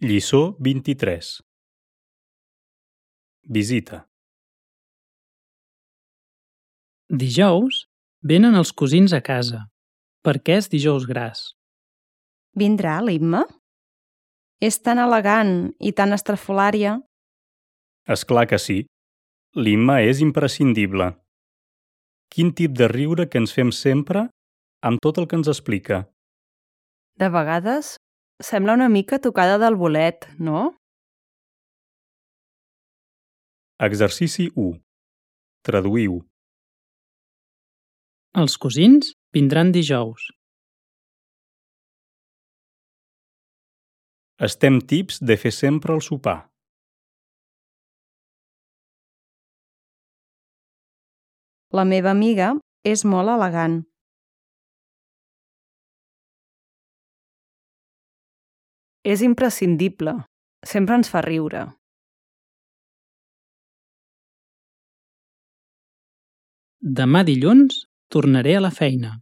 Lliçó 23. Visita. Dijous venen els cosins a casa, perquè és dijous gras. Vindrà l'Imma? És tan elegant i tan estrafolària. És clar que sí. L'Imma és imprescindible. Quin tip de riure que ens fem sempre amb tot el que ens explica. De vegades sembla una mica tocada del bolet, no? Exercici 1. Traduïu. Els cosins vindran dijous. Estem tips de fer sempre el sopar. La meva amiga és molt elegant. És imprescindible. Sempre ens fa riure. Demà dilluns tornaré a la feina.